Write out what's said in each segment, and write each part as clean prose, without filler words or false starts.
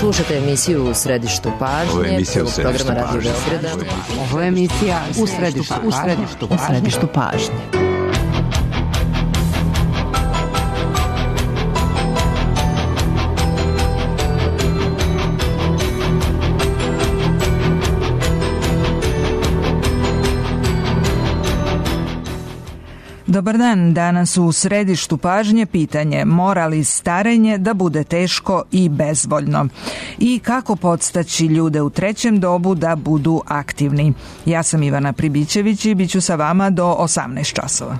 Slušate emisiju U središtu pažnje, prvog programa Radio Beograda. Ovo je emisija U središtu pažnje. Dobar dan, danas u središtu pažnje pitanje mora li starenje da bude teško i bezvoljno i kako podstaći ljude u trećem dobu da budu aktivni. Ja sam Ivana Pribićević i bit ću sa vama do 18 časova.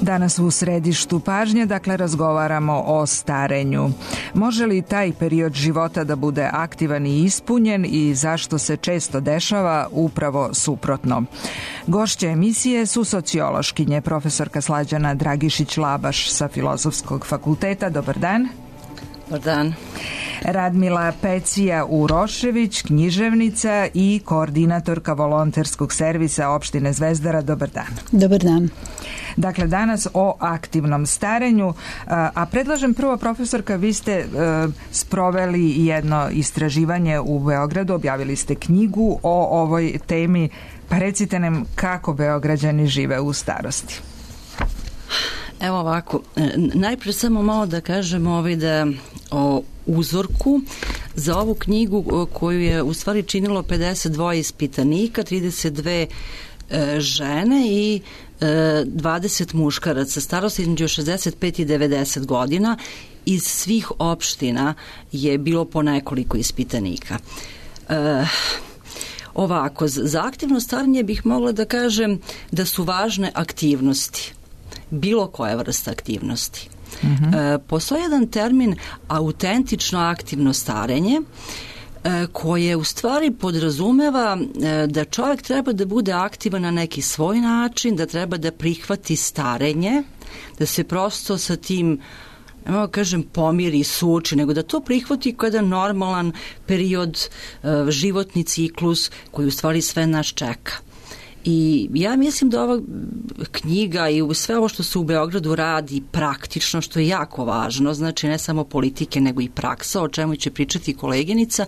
Danas u središtu pažnje, dakle, razgovaramo o starenju. Može li taj period života da bude aktivan i ispunjen i zašto se često dešava upravo suprotno? Gošće emisije su sociološkinje, profesorka Slađana Dragišić-Labaš sa Filozofskog fakulteta. Dobar dan. Dobar dan. Radmila Pecija-Urošević, književnica i koordinatorka volonterskog servisa opštine Zvezdara. Dobar dan. Dobar dan. Dakle, danas o aktivnom starenju, a predlažem prvo, profesorka, vi ste sproveli jedno istraživanje u Beogradu, objavili ste knjigu o ovoj temi, pa recite nam kako Beograđani žive u starosti. Evo ovako, najprije samo malo da kažem da o uzorku za ovu knjigu koju je u stvari činilo 52 ispitanika, 32 žene i 20 muškaraca starosti između 65 i 90 godina. Iz svih opština je bilo po nekoliko ispitanika. Ovako, za aktivno starenje bih mogla da kažem da su važne aktivnosti, bilo koja vrsta aktivnosti. Postoji jedan termin autentično aktivno starenje koje u stvari podrazumeva da čovjek treba da bude aktivan na neki svoj način, da treba da prihvati starenje, da se prosto sa tim, ne mogu kažem pomiri i suoči, nego da to prihvati kao jedan normalan period, životni ciklus koji u stvari sve nas čeka. I ja mislim da ova knjiga i sve ovo što se u Beogradu radi praktično, što je jako važno, znači ne samo politike nego i praksa, o čemu će pričati koleginica,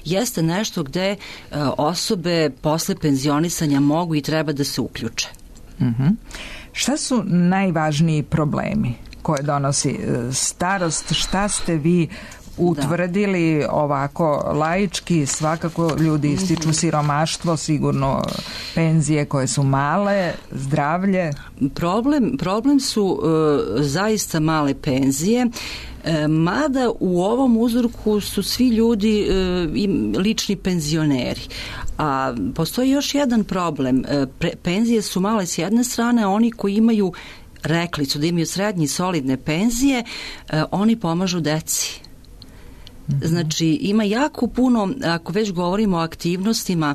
jeste nešto gde osobe posle penzionisanja mogu i treba da se uključe. Šta su najvažniji problemi koje donosi starost? Šta ste vi utvrdili ovako laički? Svakako ljudi ističu siromaštvo, sigurno penzije koje su male, zdravlje. Problem su zaista male penzije, mada u ovom uzorku su svi ljudi lični penzioneri. A postoji još jedan problem. Penzije su male s jedne strane, oni koji imaju, rekli su da imaju srednje i solidne penzije, oni pomažu deci. Znači, ima jako puno, ako već govorimo o aktivnostima,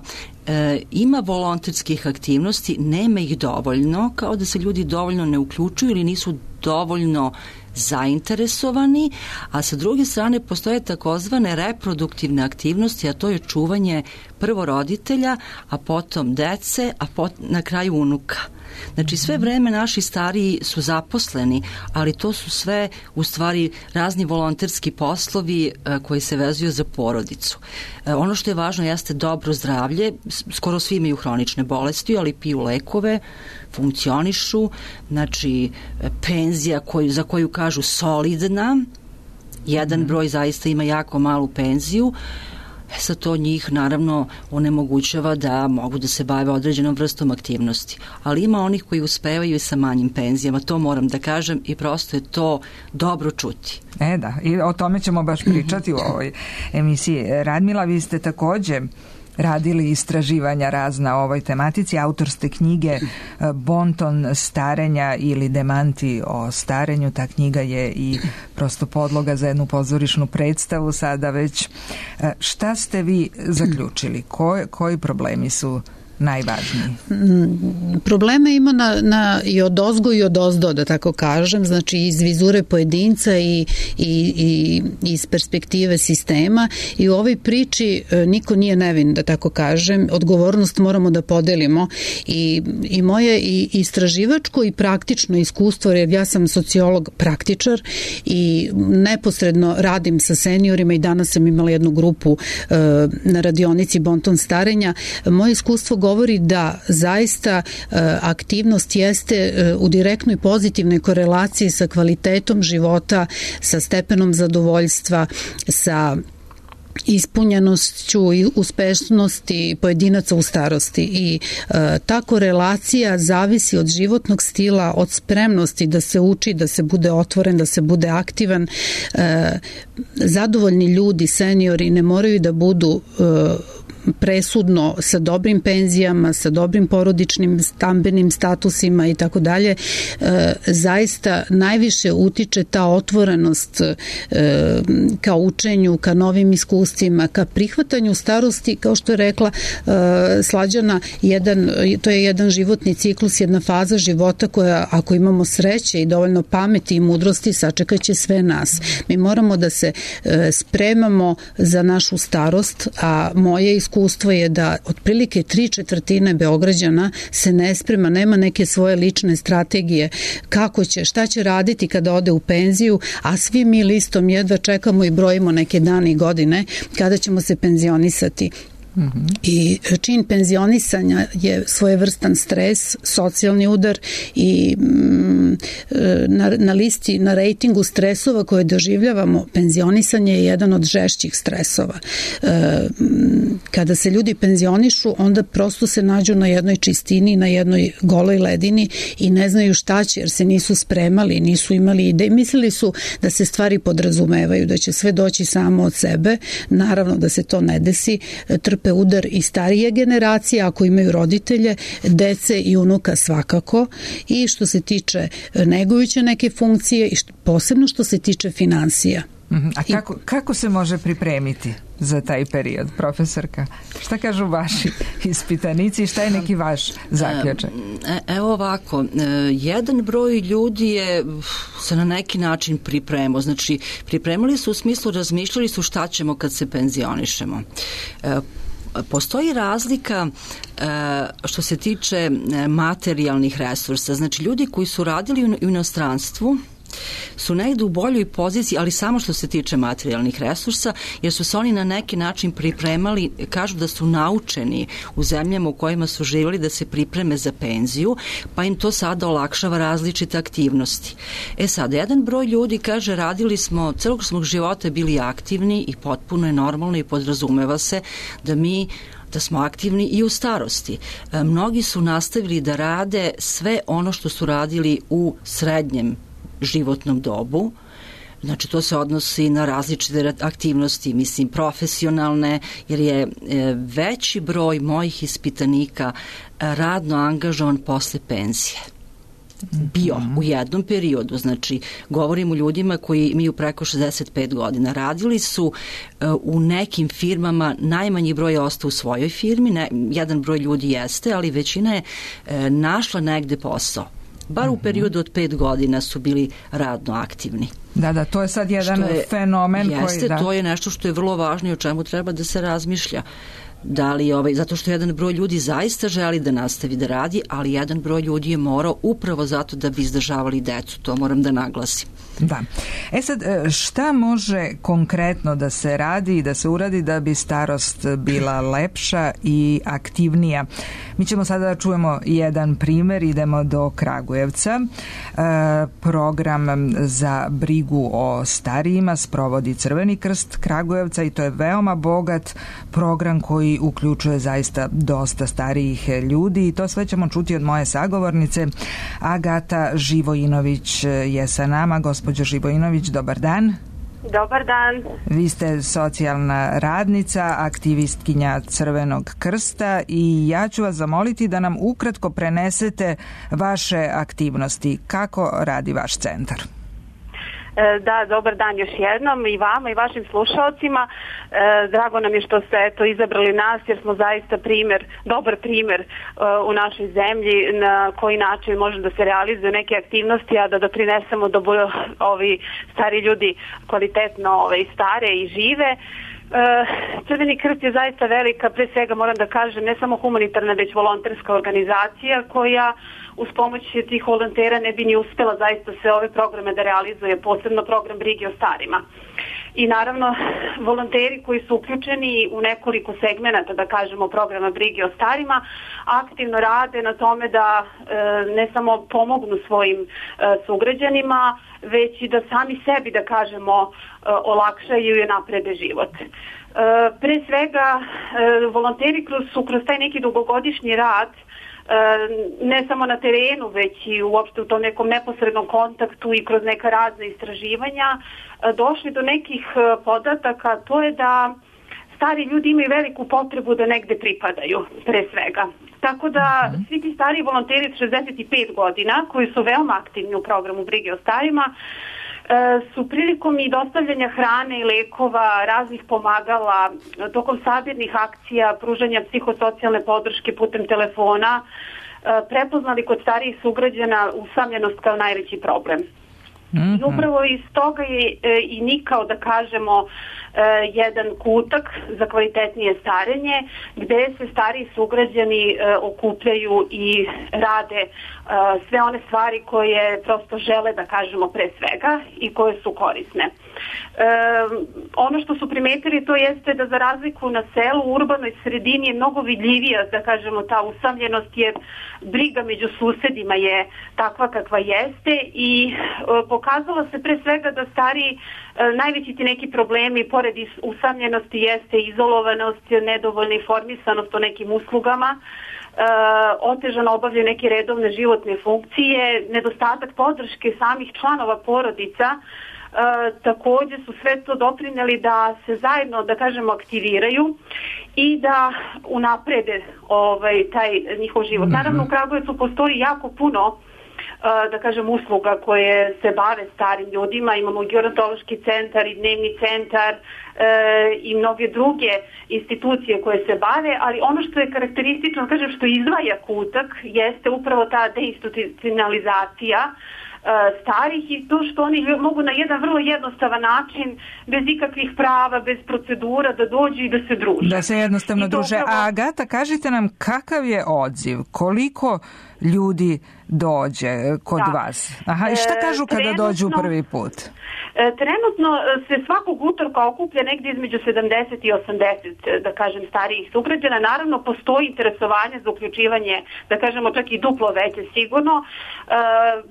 ima volonterskih aktivnosti, nema ih dovoljno, kao da se ljudi dovoljno ne uključuju ili nisu dovoljno zainteresovani, a sa druge strane postoje takozvane reproduktivne aktivnosti, a to je čuvanje prvo roditelja, a potom dece, a na kraju unuka. Znači sve vreme naši stariji su zaposleni, ali to su sve u stvari razni volonterski poslovi koji se vezuju za porodicu. Ono što je važno jeste dobro zdravlje, skoro svi imaju hronične bolesti, ali piju lekove, funkcionišu, znači penzija za koju kažu solidna, jedan broj zaista ima jako malu penziju, sad to njih naravno onemogućava da mogu da se bave određenom vrstom aktivnosti. Ali ima onih koji uspevaju i sa manjim penzijama, to moram da kažem i prosto je to dobro čuti. Da, i o tome ćemo baš pričati u ovoj emisiji. Radmila, vi ste takođe radili istraživanja razna o ovoj tematici, autor ste knjige Bonton starenja ili Demanti o starenju. Ta knjiga je i prosto podloga za jednu pozorišnu predstavu sada već. Šta ste vi zaključili? Koji problemi su najvažniji? Probleme ima i od ozgo i od ozdo, da tako kažem, znači iz vizure pojedinca i iz perspektive sistema, i u ovoj priči niko nije nevin, da tako kažem, odgovornost moramo da podelimo i moje i istraživačko i praktično iskustvo, jer ja sam sociolog praktičar i neposredno radim sa seniorima i danas sam imala jednu grupu na radionici Bonton starenja. Moje iskustvo govori da zaista aktivnost jeste u direktnoj pozitivnoj korelaciji sa kvalitetom života, sa stepenom zadovoljstva, sa ispunjenošću i uspešnosti pojedinaca u starosti i ta korelacija zavisi od životnog stila, od spremnosti da se uči, da se bude otvoren, da se bude aktivan. Zadovoljni ljudi, seniori ne moraju da budu presudno sa dobrim penzijama, sa dobrim porodičnim stambenim statusima i tako dalje. Zaista najviše utiče ta otvorenost ka učenju, ka novim iskustvima, ka prihvatanju starosti, kao što je rekla Slađana, to je jedan životni ciklus, jedna faza života koja, ako imamo sreće i dovoljno pameti i mudrosti, sačekaće sve nas. Mi moramo da se spremamo za našu starost, a moje iskustvo je da otprilike 3/4 Beograđana se ne sprema, nema neke svoje lične strategije kako će, šta će raditi kada ode u penziju, a svi mi listom jedva čekamo i brojimo neke dane i godine kada ćemo se penzionisati. I čin penzionisanja je svojevrstan stres, socijalni udar i na listi, na rejtingu stresova koje doživljavamo, penzionisanje je jedan od žešćih stresova. Kada se ljudi penzionišu, onda prosto se nađu na jednoj čistini, na jednoj goloj ledini i ne znaju šta će, jer se nisu spremali, nisu imali ideje. Mislili su da se stvari podrazumevaju, da će sve doći samo od sebe. Naravno da se to ne desi, trpe udar i starije generacije, ako imaju roditelje, dece i unuka svakako, i što se tiče negujuće neke funkcije i posebno što se tiče finansija. A kako se može pripremiti za taj period, profesorka? Šta kažu vaši ispitanici i šta je neki vaš zaključak? Evo ovako, jedan broj ljudi je se na neki način pripremao. Znači, pripremili su u smislu, razmišljali su šta ćemo kad se penzionišemo. Postoji razlika što se tiče materijalnih resursa. Znači, ljudi koji su radili u inostranstvu su negde u boljoj poziciji, ali samo što se tiče materijalnih resursa, jer su se oni na neki način pripremali, kažu da su naučeni u zemljama u kojima su živjeli da se pripreme za penziju, pa im to sada olakšava različite aktivnosti. Sad, jedan broj ljudi kaže, radili smo, celog smo života bili aktivni i potpuno je normalno i podrazumeva se da smo aktivni i u starosti. Mnogi su nastavili da rade sve ono što su radili u srednjem životnom dobu. Znači, to se odnosi na različite aktivnosti, mislim, profesionalne, jer je veći broj mojih ispitanika radno angažovan posle penzije. Bio u jednom periodu, znači govorim o ljudima koji imaju preko 65 godina. Radili su u nekim firmama, najmanji broj je ostao u svojoj firmi, jedan broj ljudi jeste, ali većina je našla negde posao. Bar u periodu od 5 godina su bili radno aktivni. Da, to je sad jedan fenomen koji... Jeste, to je nešto što je vrlo važno i o čemu treba da se razmišlja. Da li zato što jedan broj ljudi zaista želi da nastavi da radi, ali jedan broj ljudi je morao upravo zato da bi izdržavali decu, to moram da naglasim. Da. Sad, šta može konkretno da se radi i da se uradi da bi starost bila lepša i aktivnija? Mi ćemo sada da čujemo jedan primer, idemo do Kragujevca. Program za brigu o starijima sprovodi Crveni krst Kragujevca i to je veoma bogat program koji uključuje zaista dosta starijih ljudi i to sve ćemo čuti od moje sagovornice. Agata Živojinović je sa nama. Gospođo Živojinović, dobar dan. Dobar dan. Vi ste socijalna radnica, aktivistkinja Crvenog krsta i ja ću vas zamoliti da nam ukratko prenesete vaše aktivnosti. Kako radi vaš centar? Da, dobar dan još jednom i vama i vašim slušalcima. Drago nam je što ste izabrali nas jer smo zaista dobar primer u našoj zemlji na koji način može da se realizuje neke aktivnosti, a da doprinesemo da budu ovi stari ljudi kvalitetno stare i žive. Crveni krst je zaista velika, pre svega moram da kažem, ne samo humanitarna, već volonterska organizacija koja uz pomoć tih volontera ne bi ni uspela zaista sve ove programe da realizuje, posebno program brige o starima. I naravno, volonteri koji su uključeni u nekoliko segmenata, da kažemo, programa brige o starima, aktivno rade na tome da ne samo pomognu svojim sugrađanima, već i da sami sebi, da kažemo, olakšaju i naprede život. Pre svega, volonteri su kroz taj neki dugogodišnji rad ne samo na terenu, već i uopšte u tom nekom neposrednom kontaktu i kroz neka razna istraživanja došli do nekih podataka, to je da stari ljudi imaju veliku potrebu da negde pripadaju, pre svega. Tako da svi ti stari volonteri od 65 godina, koji su veoma aktivni u programu brige o starima, su prilikom i dostavljanja hrane i lekova, raznih pomagala, tokom sabirnih akcija, pružanja psihosocijalne podrške putem telefona, prepoznali kod starijih sugrađana usamljenost kao najveći problem. I upravo iz toga je i nikao, da kažemo, jedan kutak za kvalitetnije starenje, gde se stariji sugrađani okupljaju i rade sve one stvari koje prosto žele, da kažemo, pre svega i koje su korisne. Ono što su primetili to jeste da za razliku na selu, u urbanoj sredini je mnogo vidljivija, da kažemo, ta usamljenost, jer briga među susedima je takva kakva jeste i pokazalo se pre svega da stariji najveći ti neki problemi pored usamljenosti jeste izolovanost, nedovoljna informisanost o nekim uslugama, otežano obavljaju neke redovne životne funkcije, nedostatak podrške samih članova porodica. Takođe su sve to doprineli da se zajedno, da kažemo, aktiviraju i da unaprede taj njihov život. Naravno, u Kragujevcu postoji jako puno, da kažem, usluga koje se bave starim ljudima. Imamo gerontološki centar i dnevni centar i mnoge druge institucije koje se bave, ali ono što je karakteristično, kažem, što izdvaja kutak, jeste upravo ta deinstitucionalizacija starih i to što oni mogu na jedan vrlo jednostavan način, bez ikakvih prava, bez procedura, da dođu i da se druže. Da se jednostavno druže. A Agata, kažite nam kakav je odziv? Koliko ljudi dođe kod vas? I šta kažu kada dođu prvi put? Trenutno se svakog utorka okuplja negdje između 70 i 80, da kažem, starijih sugrađana. Naravno, postoji interesovanje za uključivanje, da kažemo, čak i duplo veće sigurno.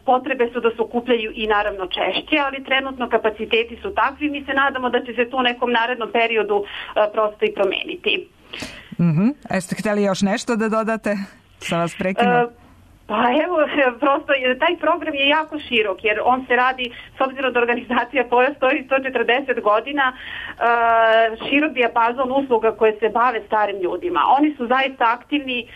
Potrebe su da se okupljaju i naravno češće, ali trenutno kapaciteti su takvi. Mi se nadamo da će se to u nekom narednom periodu prosto i promeniti. Jeste htjeli još nešto da dodate? Sam vas prekinuo. Pa evo, prosto taj program je jako širok jer on se radi, s obzirom da organizacija postoji 140 godina, širok dijapazon usluga koje se bave starim ljudima. Oni su zaista aktivni,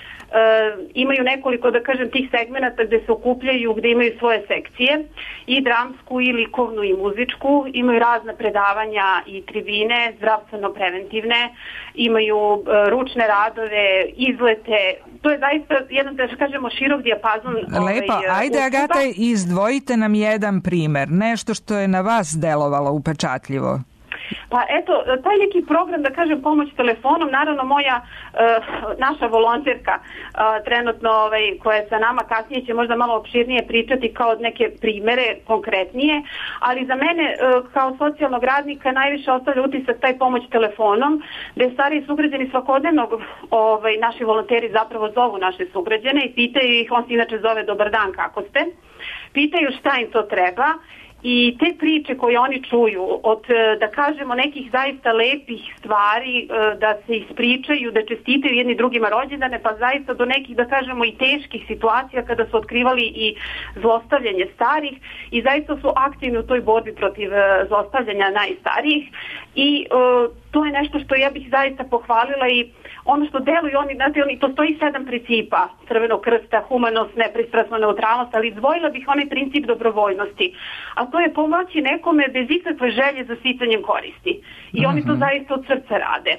imaju nekoliko, da kažem, tih segmenata gde se okupljaju, gde imaju svoje sekcije, i dramsku, i likovnu, i muzičku, imaju razna predavanja i tribine, zdravstveno-preventivne, imaju ručne radove, izlete. To je zaista jedan, da kažemo, širok dijapazon. Lepo, ajde Agata, izdvojite nam jedan primer, nešto što je na vas delovalo upečatljivo Pa eto, taj neki program, da kažem, pomoć telefonom, naravno naša volonterka trenutno koja je sa nama, kasnije će možda malo opširnije pričati kao neke primere konkretnije, ali za mene kao socijalnog radnika najviše ostavlja utisak taj pomoć telefonom, gde stariji sugrađani svakodnevno naši volonteri zapravo zovu naše sugrađane i pitaju ih, on se inače zove dobar dan, kako ste, pitaju šta im to treba. I te priče koje oni čuju od, da kažemo, nekih zaista lepih stvari, da se ispričaju, da čestitaju jedni drugima rođendane, pa zaista do nekih, da kažemo, i teških situacija kada su otkrivali i zlostavljanje starih i zaista su aktivni u toj borbi protiv zlostavljanja najstarijih i to je nešto što ja bih zaista pohvalila i ono što deluju oni, postoji 7 principa Crvenog krsta, humanost, nepristrasno, neutralnost, ali izdvojila bih onaj princip dobrovoljnosti, a to je pomoći nekome bez ikakve želje za sticanjem koristi. I oni to zaista od srca rade.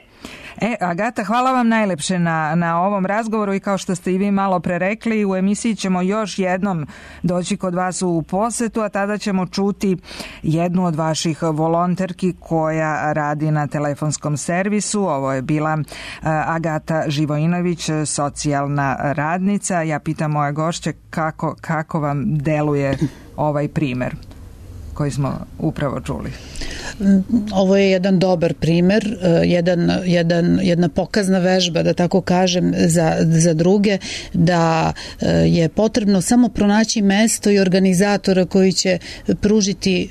Agata, hvala vam najlepše na ovom razgovoru i kao što ste i vi malo pre rekli, u emisiji ćemo još jednom doći kod vas u posetu, a tada ćemo čuti jednu od vaših volonterki koja radi na telefonskom servisu. Ovo je bila Agata Živojinović, socijalna radnica. Ja pitam moje gošće kako vam deluje ovaj primer koji smo upravo čuli. Ovo je jedan dobar primer, jedna pokazna vežba, da tako kažem, za druge, da je potrebno samo pronaći mesto i organizatora koji će pružiti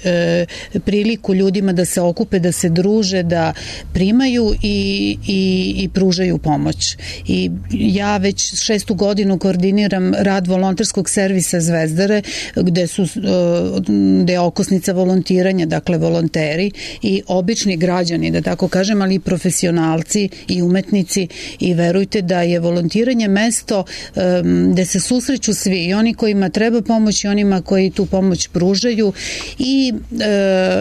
priliku ljudima da se okupe, da se druže, da primaju i pružaju pomoć. I ja već 6. godinu koordiniram rad volonterskog servisa Zvezdare, gde je okosnica volontiranja, dakle volonteri i obični građani, da tako kažem, ali i profesionalci i umetnici, i verujte da je volontiranje mesto gde se susreću svi, i oni kojima treba pomoć i onima koji tu pomoć pružaju, i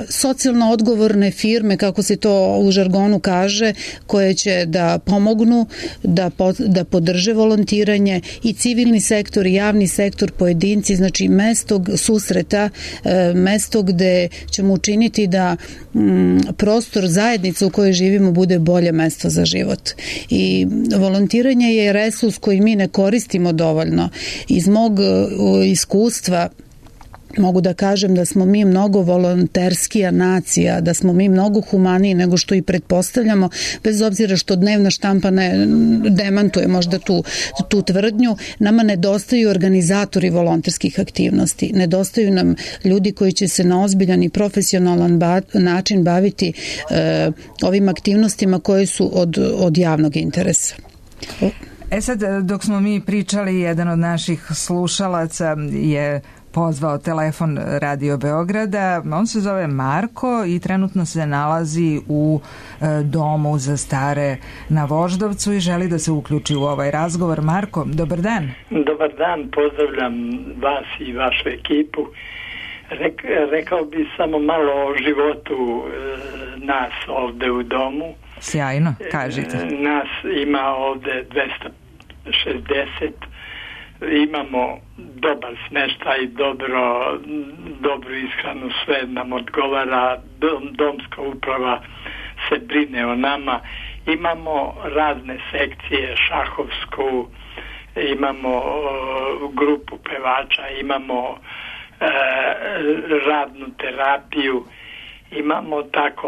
socijalno odgovorne firme, kako se to u žargonu kaže, koje će da pomognu, da podrže volontiranje, i civilni sektor i javni sektor, pojedinci, znači mesto susreta, mesto gde ćemo učiniti da prostor zajednice u kojoj živimo bude bolje mesto za život. I volontiranje je resurs koji mi ne koristimo dovoljno. Iz mog iskustva mogu da kažem da smo mi mnogo volonterskija nacija, da smo mi mnogo humaniji nego što i pretpostavljamo, bez obzira što dnevna štampa ne demantuje možda tu tvrdnju. Nama nedostaju organizatori volonterskih aktivnosti, nedostaju nam ljudi koji će se na ozbiljan i profesionalan način baviti ovim aktivnostima koje su od javnog interesa. Sad, dok smo mi pričali, jedan od naših slušalaca je pozvao telefon Radio Beograda. On se zove Marko i trenutno se nalazi u domu za stare na Voždovcu i želi da se uključi u ovaj razgovor. Marko, dobar dan. Dobar dan, pozdravljam vas i vašu ekipu. Rekao bi samo malo o životu nas ovde u domu. Sjajno, kažite. Nas ima ovde 260. Imamo dobar smeštaj, dobru ishranu, sve nam odgovara, domska uprava se brine o nama, imamo razne sekcije, šahovsku, imamo grupu pevača, imamo radnu terapiju, imamo tako.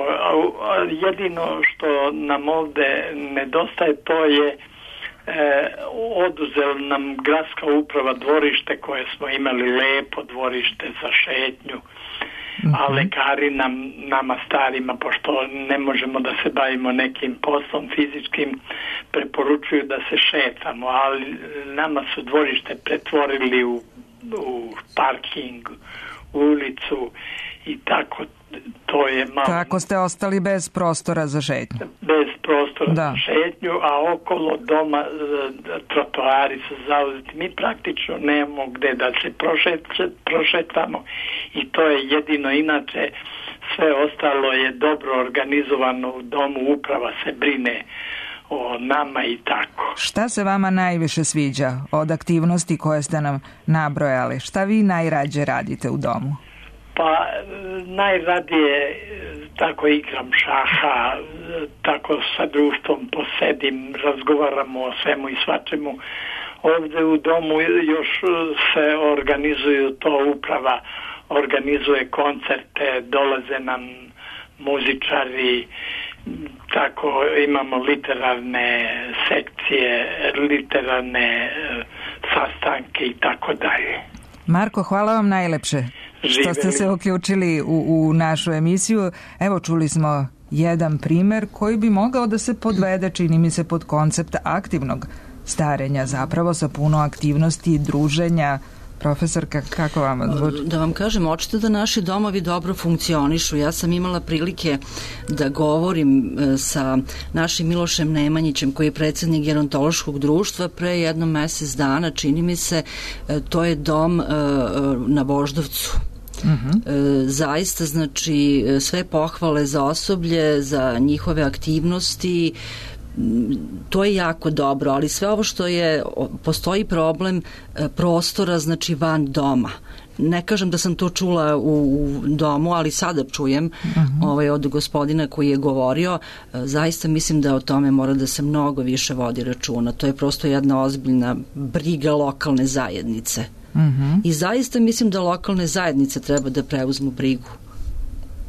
Jedino što nam ovde nedostaje, to je oduzela nam gradska uprava dvorište koje smo imali, lepo dvorište za šetnju, a lekari nama starima, pošto ne možemo da se bavimo nekim poslom fizičkim, preporučuju da se šetamo, ali nama su dvorište pretvorili u parking, ulicu i tako. To je malo... Tako ste ostali bez prostora za šetnju. Bez prostora za šetnju, a okolo doma trotoari su zauzeti. Mi praktično nemamo gde da se prošetamo i to je jedino. Inače, sve ostalo je dobro organizovano u domu, uprava se brine o nama i tako. Šta se vama najviše sviđa od aktivnosti koje ste nam nabrojali? Šta vi najrađe radite u domu? Pa najradije tako igram šaha, tako sa društvom posedim, razgovaramo o svemu i svačemu. Ovde u domu još se organizuju, to uprava organizuje koncerte, dolaze nam muzičari, tako imamo literarne sekcije, literarne sastanke i tako dalje. Marko, hvala vam najlepše što ste se uključili u našu emisiju. Evo, čuli smo jedan primer koji bi mogao da se podvede, čini mi se, pod koncept aktivnog starenja, zapravo sa puno aktivnosti i druženja. Profesorka, kako vam zvuči? Da vam kažem, očito da naši domovi dobro funkcionišu. Ja sam imala prilike da govorim sa našim Milošem Nemanjićem, koji je predsjednik gerontološkog društva, pre jedno mesec dana, čini mi se, to je dom na Voždovcu. Zaista, znači, sve pohvale za osoblje, za njihove aktivnosti, to je jako dobro, ali sve ovo što je, postoji problem prostora, znači van doma. Ne kažem da sam to čula u domu, ali sada čujem od gospodina koji je govorio. Zaista mislim da o tome mora da se mnogo više vodi računa. To je prosto jedna ozbiljna briga lokalne zajednice. I zaista mislim da lokalne zajednice treba da preuzmu brigu.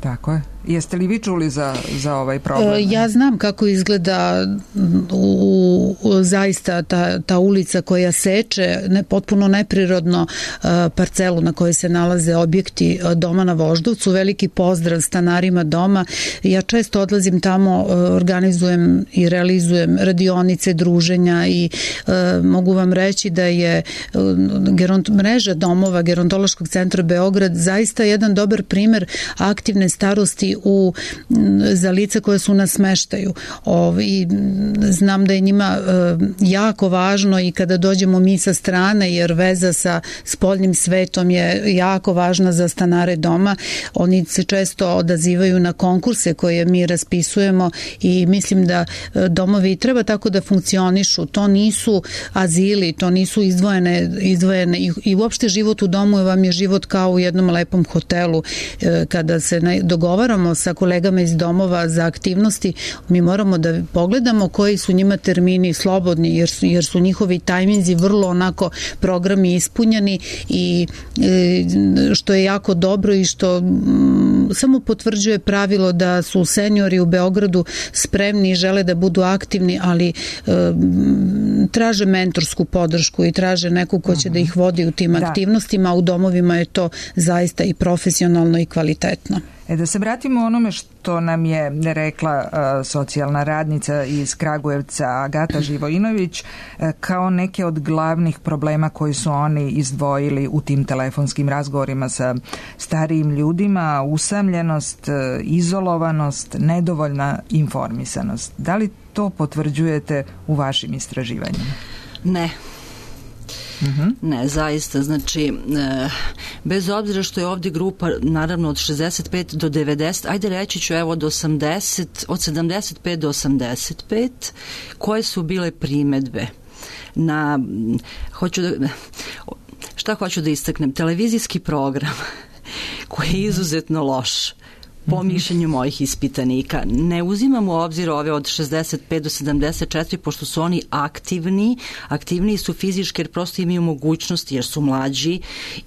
Tako je. Jeste li vi čuli za ovaj problem? Ja znam kako izgleda zaista ta ulica koja seče potpuno neprirodno parcelu na kojoj se nalaze objekti doma na Voždovcu. Veliki pozdrav stanarima doma. Ja često odlazim tamo, organizujem i realizujem radionice, druženja i mogu vam reći da je mreža domova Gerontološkog centra Beograd zaista jedan dobar primer aktivne starosti za lica koje su na smeštaju. I znam da je njima jako važno i kada dođemo mi sa strane, jer veza sa spoljnim svetom je jako važna za stanare doma. Oni se često odazivaju na konkurse koje mi raspisujemo i mislim da domovi treba tako da funkcionišu. To nisu azili, to nisu izdvojene i uopšte život u domu vam je život kao u jednom lepom hotelu. Kada se dogovaramo sa kolegama iz domova za aktivnosti, mi moramo da pogledamo koji su njima termini slobodni, jer su njihovi tajminzi vrlo onako programi ispunjeni i što je jako dobro i što samo potvrđuje pravilo da su seniori u Beogradu spremni i žele da budu aktivni, ali traže mentorsku podršku i traže neku ko će da ih vodi u tim aktivnostima, a u domovima je to zaista i profesionalno i kvalitetno. Da se vratimo onome što nam je rekla socijalna radnica iz Kragujevca Agata Živojinović kao neke od glavnih problema koji su oni izdvojili u tim telefonskim razgovorima sa starijim ljudima: usamljenost, izolovanost, nedovoljna informisanost. Da li to potvrđujete u vašim istraživanjima? Ne. Ne, zaista, znači bez obzira što je ovdje grupa naravno od 65 do 90, ajde reći ću evo od 80, od 75 do 85, koje su bile primedbe na, šta hoću da istaknem, televizijski program koji je izuzetno loš po mišljenju mojih ispitanika. Ne uzimam u obzir ove od 65 do 74, pošto su oni aktivniji su fizički jer prosto imaju mogućnosti jer su mlađi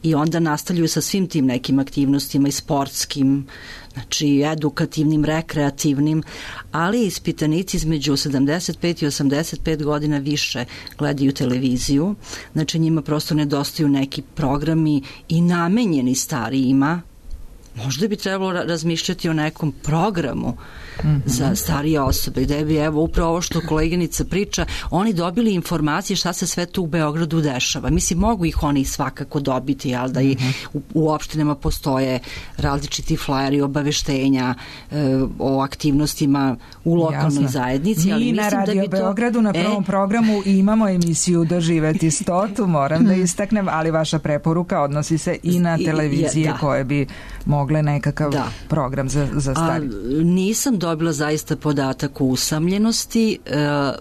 i onda nastavljaju sa svim tim nekim aktivnostima i sportskim, znači edukativnim, rekreativnim, ali ispitanici između 75 i 85 godina više gledaju televiziju, znači njima prosto nedostaju neki programi i namenjeni starijima. Možda bi trebalo razmišljati o nekom programu za starije osobe, gde bi, evo, upravo ovo što koleginica priča, oni dobili informacije šta se sve tu u Beogradu dešava. Mislim, mogu ih oni svakako dobiti, ali da i u opštinama postoje različiti flajeri, obaveštenja o aktivnostima u lokalnoj zajednici. Ali mi na Radio Beogradu na prvom programu imamo emisiju Doživeti 100, moram da istaknem, ali vaša preporuka odnosi se i na televizije koje bi mogle nekakav program za starije. Nisam dobila zaista podatak o usamljenosti.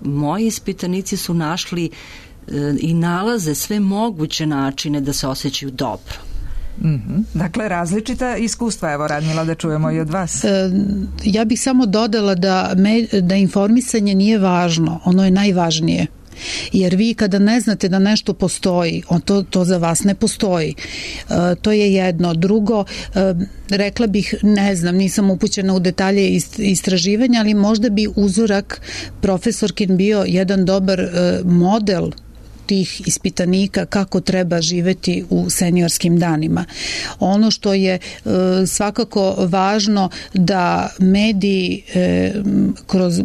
Moji ispitanici su našli i nalaze sve moguće načine da se osjećaju dobro. Dakle, različita iskustva. Evo, Radmila, da čujemo i od vas. Ja bih samo dodala da informisanje nije važno, ono je najvažnije. Jer vi kada ne znate da nešto postoji, to za vas ne postoji. To je jedno. Drugo, rekla bih, ne znam, nisam upućena u detalje istraživanja, ali možda bi uzorak profesorkin bio jedan dobar model tih ispitanika kako treba živeti u seniorskim danima. Ono što je svakako važno da mediji kroz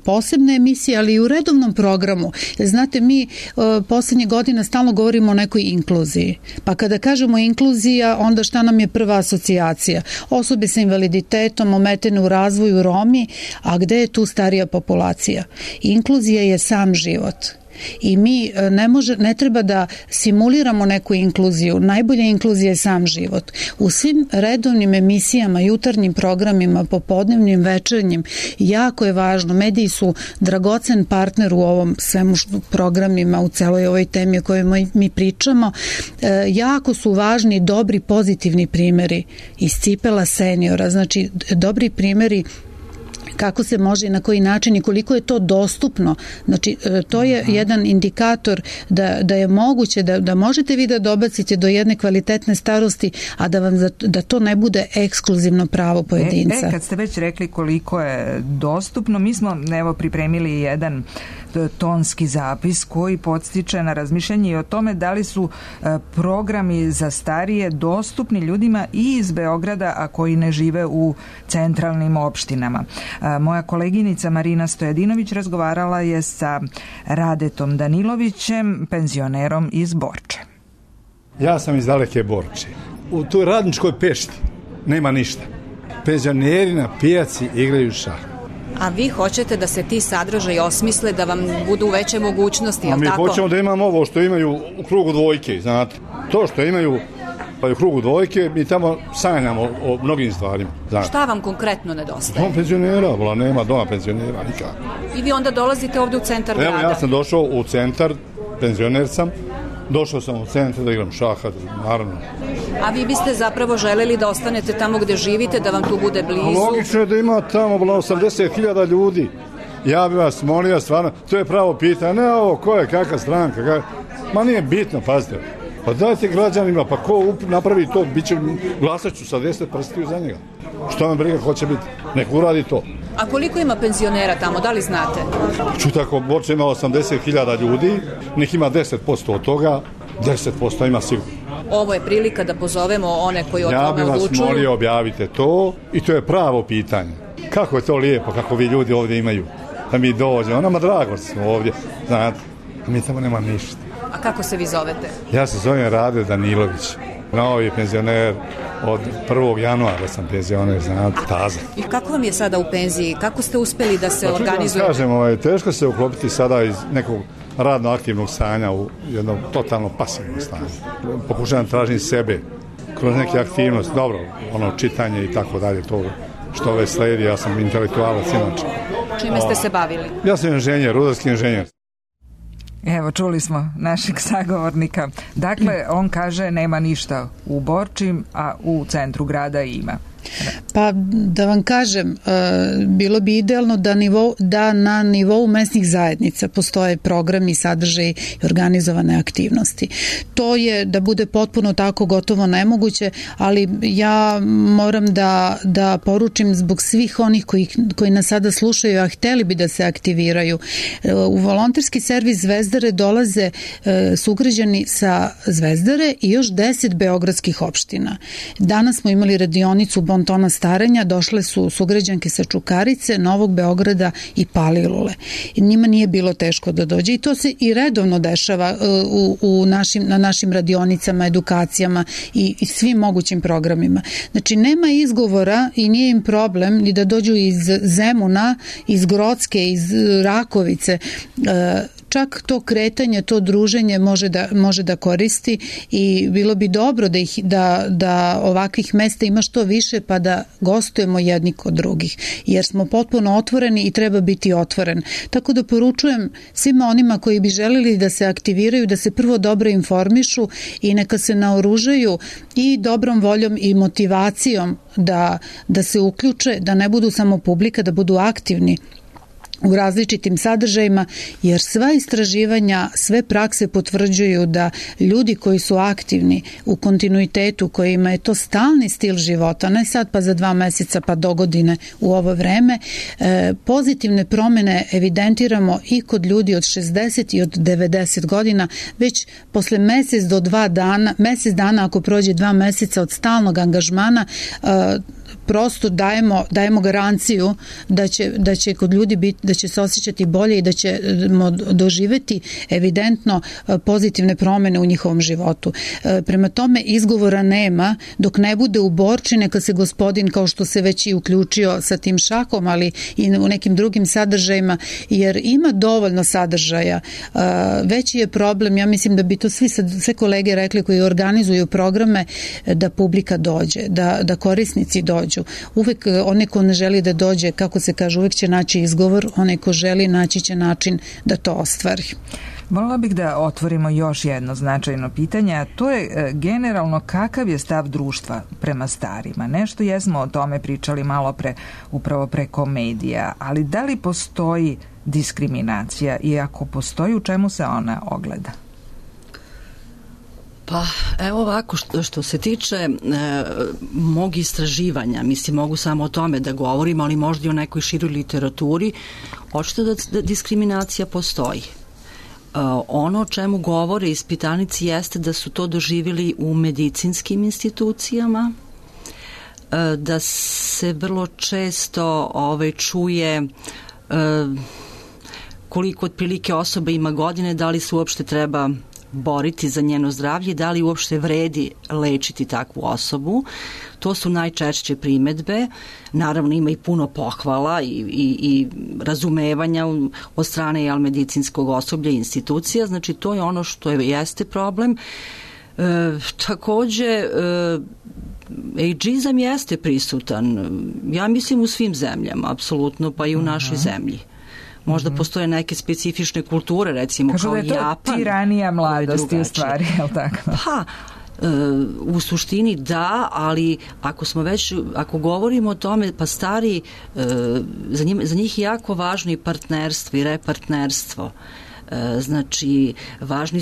posebne emisije, ali i u redovnom programu. Znate, mi poslednje godina stalno govorimo o nekoj inkluziji. Pa kada kažemo inkluzija, onda šta nam je prva asocijacija? Osobe sa invaliditetom, ometene u razvoju, Romi, a gde je tu starija populacija? Inkluzija je sam život. I mi ne treba da simuliramo neku inkluziju. Najbolja inkluzija je sam život. U svim redovnim emisijama, jutarnjim programima, popodnevnim, večernjim, jako je važno. Mediji su dragocen partner u ovom svemu programima, u celoj ovoj temi o kojoj mi pričamo. Jako su važni dobri, pozitivni primeri iz cipela seniora. Znači, dobri primeri kako se može i na koji način i koliko je to dostupno. Znači, to je jedan indikator da je moguće, da možete vi da dobacite do jedne kvalitetne starosti, a da to ne bude ekskluzivno pravo pojedinca. Kad ste već rekli koliko je dostupno, mi smo pripremili jedan tonski zapis koji podstiče na razmišljanje i o tome da li su programi za starije dostupni ljudima i iz Beograda, a koji ne žive u centralnim opštinama. Moja koleginica Marina Stojadinović razgovarala je sa Radetom Danilovićem, penzionerom iz Borče. Ja sam iz daleke Borče. U toj radničkoj pešti nema ništa. Penzioneri na pijaci igraju šah. A vi hoćete da se ti sadržaji osmisle, da vam budu veće mogućnosti, je li tako? Mi hoćemo da imamo ovo što imaju u krugu dvojke, znate. To što imaju u krugu dvojke, mi tamo sanjamo o mnogim stvarima. Znate. Šta vam konkretno nedostaje? Dom penzionera, nema doma penzionera nikako. I vi onda dolazite ovde u centar grada? Evo, ja sam došao u centar, penzioner sam, došao sam u centar da igram šaha, naravno. A vi biste zapravo želeli da ostanete tamo gde živite, da vam tu bude blizu? Logično je da ima tamo 80.000 ljudi. Ja bih vas molio, stvarno, to je pravo pitanje, ne ovo, ko je, kakva stranka, ma nije bitno, pazite. Pa dajte građanima, pa ko napravi to, glasat ću sa 10 prstiju za njega. Što me briga, ko će biti, nek uradi to. A koliko ima penzionera tamo, da li znate? Čuj, tako, Borče ima 80.000 ljudi, nek ima 10% od toga, 10% ima sigurno. Ovo je prilika da pozovemo one koji o tome odlučuju. Ja bih vas molio, objavite to i to je pravo pitanje. Kako je to lijepo, kako vi ljudi ovdje imaju, da mi dođemo, nama drago smo ovdje, znate, a mi tamo nema ništa. A kako se vi zovete? Ja se zovem Rade Danilović, novi penzioner, od 1. januara sam penzioner, znate, taza. I kako vam je sada u penziji, kako ste uspeli da se organizujete? Kažem, teško se uklopiti sada iz nekog radno aktivnog stanja u jedno totalno pasivno stanje. Pokušavam tražiti sebe kroz neke aktivnosti, dobro, čitanje i tako dalje, to što ove sledi, ja sam intelektualac inače. Čime ste se bavili? Ja sam inženjer, rudarski inženjer. Evo, čuli smo našeg sagovornika. Dakle, on kaže nema ništa u Borči, a u centru grada ima. Pa da vam kažem, bilo bi idealno da na nivou mesnih zajednica postoje programi, sadržaji i organizovane aktivnosti. To je da bude potpuno tako gotovo nemoguće, ali ja moram da poručim zbog svih onih koji nas sada slušaju, a hteli bi da se aktiviraju. U volonterski servis Zvezdare dolaze sugrađani sa Zvezdare i još 10 beogradskih opština. Danas smo imali radionicu Bontona starenja, došle su sugrađanke sa Čukarice, Novog Beograda i Palilule. I njima nije bilo teško da dođe i to se i redovno dešava na našim radionicama, edukacijama i svim mogućim programima. Znači, nema izgovora i nije im problem ni da dođu iz Zemuna, iz Grocke, iz Rakovice. čak to kretanje, to druženje može da koristi i bilo bi dobro da ovakvih mesta ima što više pa da gostujemo jedni kod drugih, jer smo potpuno otvoreni i treba biti otvoren. Tako da poručujem svima onima koji bi želeli da se aktiviraju, da se prvo dobro informišu i neka se naoružaju i dobrom voljom i motivacijom da se uključe, da ne budu samo publika, da budu aktivni u različitim sadržajima, jer sva istraživanja, sve prakse potvrđuju da ljudi koji su aktivni u kontinuitetu, kojima je to stalni stil života, ne sad pa za 2 meseca pa do godine u ovo vreme, pozitivne promene evidentiramo i kod ljudi od 60 i od 90 godina, već posle mesec dana ako prođe 2 meseca od stalnog angažmana, prosto dajemo garanciju da će kod ljudi biti, da će se osjećati bolje i da ćemo doživeti evidentno pozitivne promene u njihovom životu. Prema tome izgovora nema dok ne bude u Borči, neka se gospodin, kao što se već i uključio sa tim šakom, ali i u nekim drugim sadržajima, jer ima dovoljno sadržaja. Veći je problem, ja mislim da bi to sve kolege rekli koji organizuju programe, da publika dođe, da korisnici dođu. Uvek onaj ko ne želi da dođe, kako se kaže, uvek će naći izgovor, onaj ko želi naći će način da to ostvari. Voljela bih da otvorimo još jedno značajno pitanje, a to je generalno kakav je stav društva prema starima. Nešto jesmo o tome pričali malo upravo preko medija, ali da li postoji diskriminacija i ako postoji, u čemu se ona ogleda? Pa evo ovako, što se tiče mog istraživanja, mislim mogu samo o tome da govorim, ali možda i o nekoj široj literaturi, očito da diskriminacija postoji. Ono o čemu govore ispitanici jeste da su to doživjeli u medicinskim institucijama, da se vrlo često čuje koliko otprilike osoba ima godine, da li se uopšte treba boriti za njeno zdravlje, da li uopšte vredi lečiti takvu osobu. To su najčešće primedbe. Naravno ima i puno pohvala i razumevanja od strane medicinskog osoblja i institucija, znači to je ono što jeste problem. Takođe, ageizam jeste prisutan, ja mislim u svim zemljama, apsolutno, pa i u našoj zemlji. Možda postoje neke specifične kulture, recimo kao Japan. Kažu da je to tiranija mladosti u stvari, je li tako? Pa, u suštini da, ali ako govorimo o tome, pa stari, za njih je jako važno i partnerstvo i repartnerstvo. Znači, važne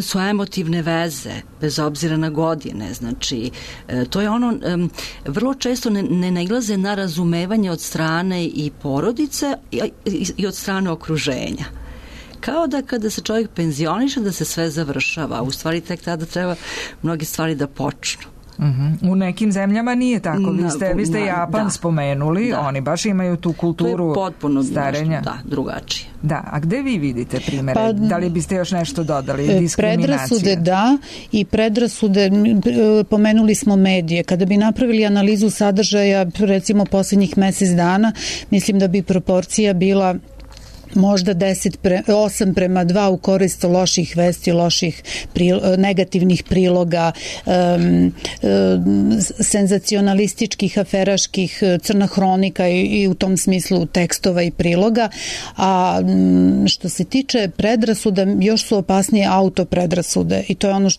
su emotivne veze, bez obzira na godine. Znači, to je ono, vrlo često ne nailaze na razumevanje od strane i porodice i od strane okruženja. Kao da kada se čovjek penzioniše da se sve završava, u stvari tek tada treba mnogi stvari da počnu. U nekim zemljama nije tako. Vi ste Japan spomenuli, oni baš imaju tu kulturu starenja. Da, drugačije. Da, a gde vi vidite primere? Da li biste još nešto dodali? Diskriminacija? Predrasude da, i predrasude, pomenuli smo medije. Kada bi napravili analizu sadržaja, recimo posljednjih mesec dana, mislim da bi proporcija bila možda 8:2 u korist loših vesti, loših negativnih priloga, senzacionalističkih, aferaških, crna hronika i u tom smislu tekstova i priloga. A što se tiče predrasuda, još su opasnije autopredrasude i to je ono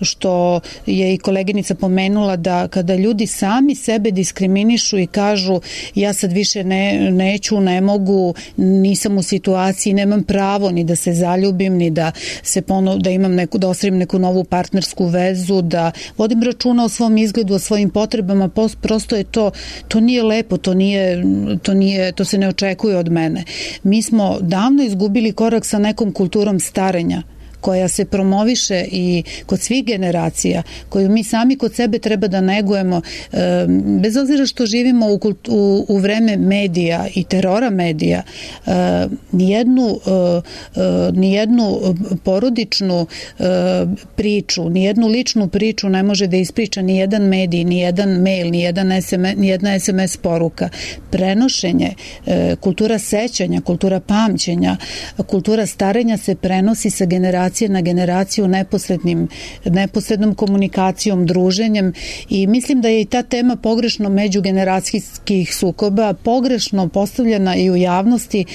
što je i koleginica pomenula, da kada ljudi sami sebe diskriminišu i kažu ja sad više neću, ne mogu, nisam u situaciji, nemam pravo ni da se zaljubim, ni da imam da ostvarim neku novu partnersku vezu, da vodim računa o svom izgledu, o svojim potrebama, prosto je to nije lepo, to se ne očekuje od mene. Mi smo davno izgubili korak sa nekom kulturom starenja koja se promoviše i kod svih generacija, koju mi sami kod sebe treba da negujemo, bez obzira što živimo u vreme medija i terora medija, nijednu porodičnu priču, nijednu ličnu priču ne može da ispriča nijedan medij, nijedan mail, nijedna SMS poruka. Prenošenje, kultura sećanja, kultura pamćenja, kultura starenja se prenosi sa generacije na generaciju neposrednom komunikacijom, druženjem, i mislim da je i ta tema pogrešno međugeneracijskih sukoba pogrešno postavljena i u javnosti.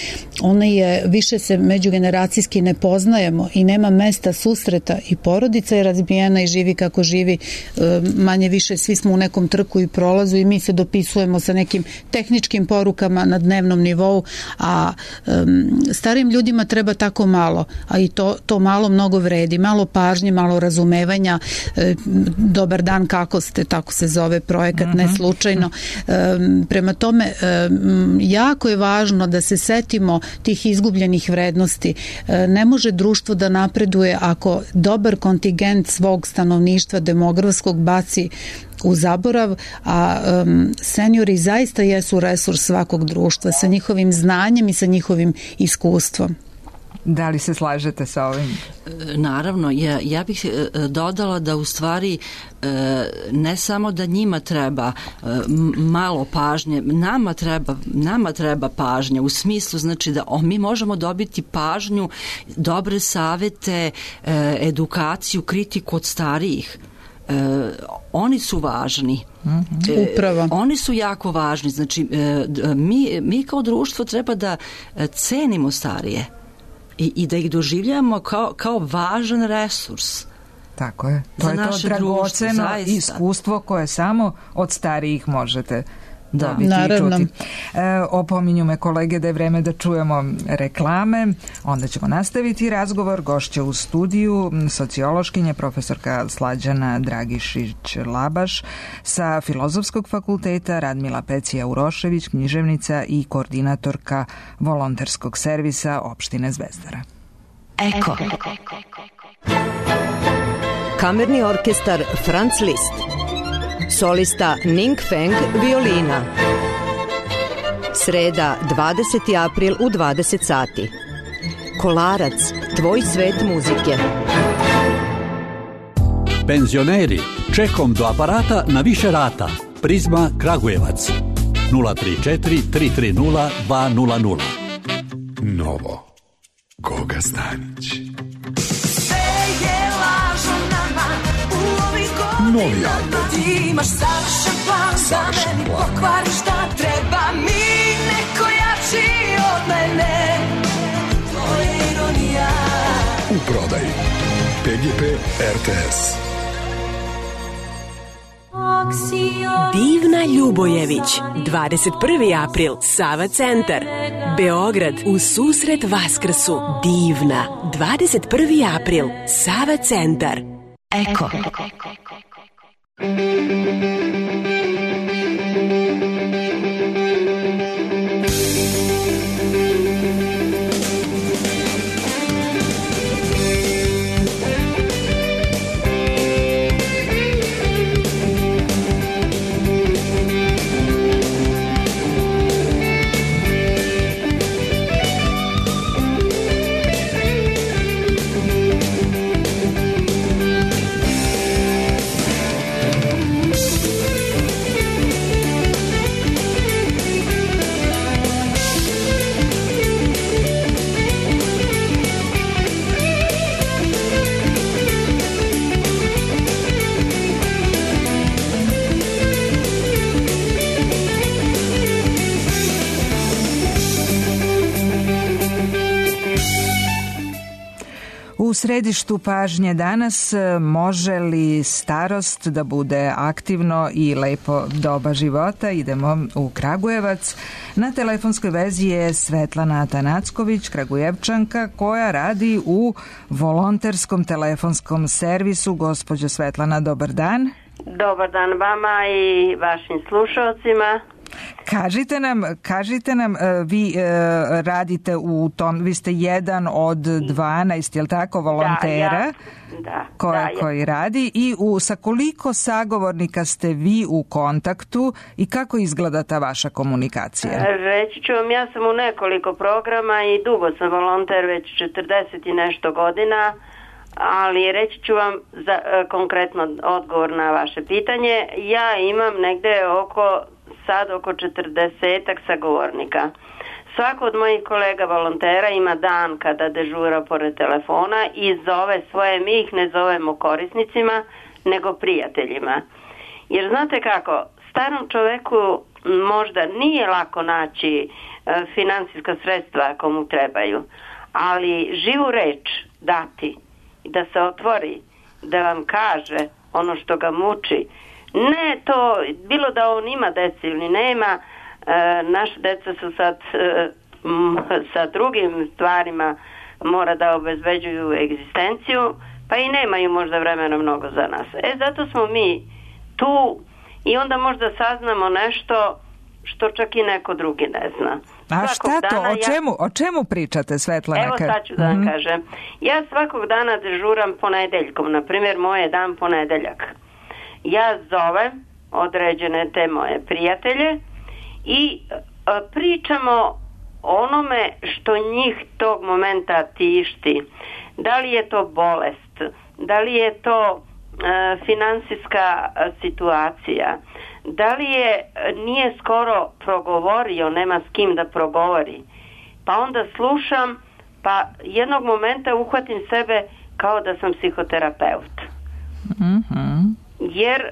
Ona je, više se međugeneracijski ne poznajemo i nema mesta susreta i porodica je razbijena i živi kako živi, manje više svi smo u nekom trku i prolazu i mi se dopisujemo sa nekim tehničkim porukama na dnevnom nivou, a starim ljudima treba tako malo, a i to malo mnogo vredi, malo pažnje, malo razumevanja. Dobar dan, kako ste, tako se zove projekat, ne slučajno. Prema tome, jako je važno da se setimo tih izgubljenih vrednosti. Ne može društvo da napreduje ako dobar kontingent svog stanovništva demografskog baci u zaborav, a seniori zaista jesu resurs svakog društva sa njihovim znanjem i sa njihovim iskustvom. Da li se slažete sa ovim? Naravno, ja bih dodala da u stvari ne samo da njima treba malo pažnje, nama treba pažnja, u smislu znači da mi možemo dobiti pažnju, dobre savete, edukaciju, kritiku od starijih. Oni su važni. Upravo. Oni su jako važni. Znači, mi kao društvo treba da cenimo starije i da ih doživljamo kao važan resurs. Tako je. To je to dragoceno iskustvo koje samo od starijih možete dobiti i čuti. Opominju me kolege da je vreme da čujemo reklame, onda ćemo nastaviti razgovor. Gošća u studiju sociološkinja profesorka Slađana Dragišić-Labaš sa Filozofskog fakulteta, Radmila Pecija-Urošević, književnica i koordinatorka volonterskog servisa opštine Zvezdara. Eko. Kamerni orkestar Franz Liszt. Solista Ning Feng, violina. Sreda, 20. april u 20 sati. Kolarac, tvoj svet muzike. Penzioneri, čekom do aparata na više rata. Prizma Kragujevac. 034 330 200. Novo. Goga Stanić. Novi album. Ti imaš savršen plan, za meni pokvariš da treba mi neko jači od mene. To je ironija. U prodaji PGP RTS. Divna Ljubojević, 21. april, Sava centar, Beograd, u susret Vaskrsu. Divna, 21. april, Sava centar. Eko. U središtu pažnje danas, može li starost da bude aktivno i lepo doba života? Idemo u Kragujevac. Na telefonskoj vezi je Svetlana Atanacković, Kragujevčanka, koja radi u volonterskom telefonskom servisu. Gospođo Svetlana, dobar dan. Dobar dan vama i vašim slušalcima. Kažite nam, vi radite u tom, vi ste jedan od 12, je li tako, volontera koji radi, i sa koliko sagovornika ste vi u kontaktu i kako izgleda ta vaša komunikacija? Reći ću vam, ja sam u nekoliko programa i dugo sam volonter, već 40 i nešto godina, ali reći ću vam konkretno odgovor na vaše pitanje. Ja imam negde oko 40 sagovornika. Svako od mojih kolega volontera ima dan kada dežura pored telefona i zove svoje, mi ih ne zovemo korisnicima, nego prijateljima. Jer znate kako, starom čoveku možda nije lako naći finansijska sredstva ako mu trebaju, ali živu reč dati i da se otvori, da vam kaže ono što ga muči. Ne to, bilo da on ima deci ili nema, naša deca su sad sa drugim stvarima, mora da obezbeđuju egzistenciju, pa i nemaju možda vremena mnogo za nas. Zato smo mi tu i onda možda saznamo nešto što čak i neko drugi ne zna. A šta to? O čemu pričate, Svetlana? Evo sad ću da vam kažem. Ja svakog dana dežuram ponedeljkom, na primjer moj je dan ponedeljak. Ja zovem određene te moje prijatelje i pričamo onome što njih tog momenta tišti. Da li je to bolest, da li je to finansijska situacija, da li nije skoro progovorio, nema s kim da progovori. Pa onda slušam, pa jednog momenta uhvatim sebe kao da sam psihoterapeut. Jer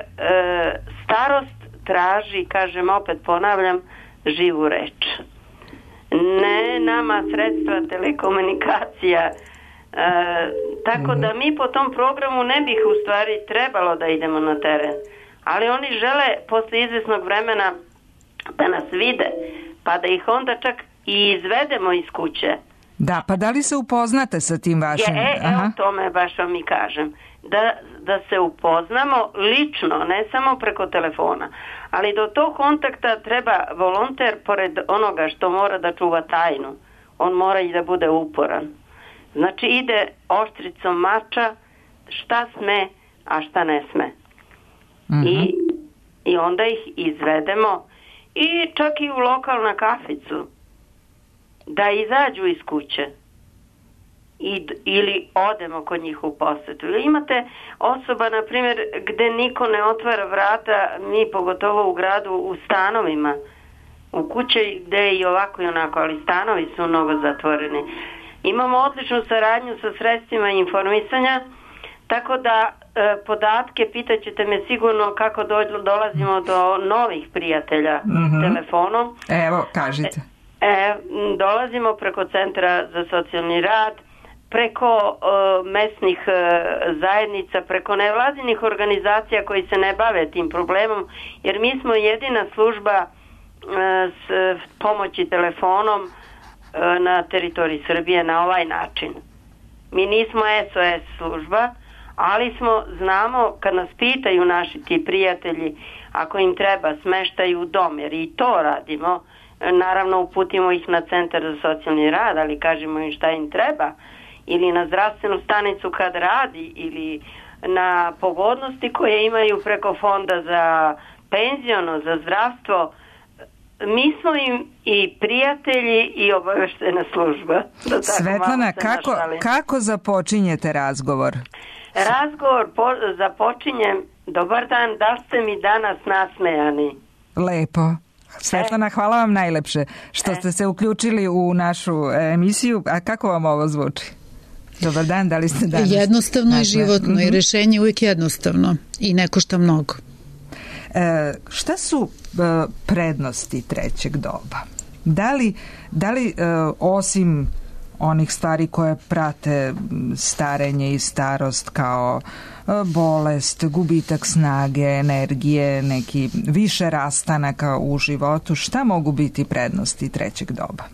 starost traži, kažem, opet ponavljam, živu reč. Ne nama sredstva telekomunikacija. Tako da mi po tom programu ne bih u stvari trebalo da idemo na teren. Ali oni žele posle izvesnog vremena da nas vide, pa da ih onda čak i izvedemo iz kuće. Da, pa da li se upoznate sa tim vašim? Evo tome baš vam i kažem. Da se upoznamo lično, ne samo preko telefona. Ali do tog kontakta treba volonter, pored onoga što mora da čuva tajnu, on mora i da bude uporan. Znači ide oštricom mača šta sme, a šta ne sme. I onda ih izvedemo i čak i u lokalnu kaficu da izađu iz kuće ili odemo kod njih u posetu. Imate osoba, na primjer, gde niko ne otvara vrata, mi pogotovo u gradu, u stanovima, u kuće gde je i ovako i onako, ali stanovi su mnogo zatvoreni. Imamo odličnu saradnju sa sredstvima informisanja, tako da podatke, pitaćete me sigurno kako dolazimo do novih prijatelja telefonom. Evo, kažite. Dolazimo preko Centra za socijalni rad, preko mesnih zajednica, preko nevladinih organizacija koji se ne bave tim problemom, jer mi smo jedina služba s pomoći telefonom na teritoriji Srbije na ovaj način. Mi nismo SOS služba, ali znamo kad nas pitaju naši ti prijatelji ako im treba smeštaju u dom, jer i to radimo, naravno uputimo ih na Centar za socijalni rad, ali kažemo im šta im treba, ili na zdravstvenu stanicu kad radi, ili na pogodnosti koje imaju preko fonda za penziono, za zdravstvo. Mi smo im i prijatelji i obaveštena služba. Svetlana, kako započinjete razgovor? Razgovor započinjem: dobar dan, da ste mi danas nasmejani? Lepo. Svetlana, hvala vam najlepše što ste se uključili u našu emisiju. A kako vam ovo zvuči? Dobar dan, da li ste danas? Jednostavno i životno i rešenje je uvijek jednostavno i ne košta mnogo. Šta su prednosti trećeg doba? Da li osim onih stvari koje prate starenje i starost kao bolest, gubitak snage, energije, neki više rastanaka u životu, šta mogu biti prednosti trećeg doba?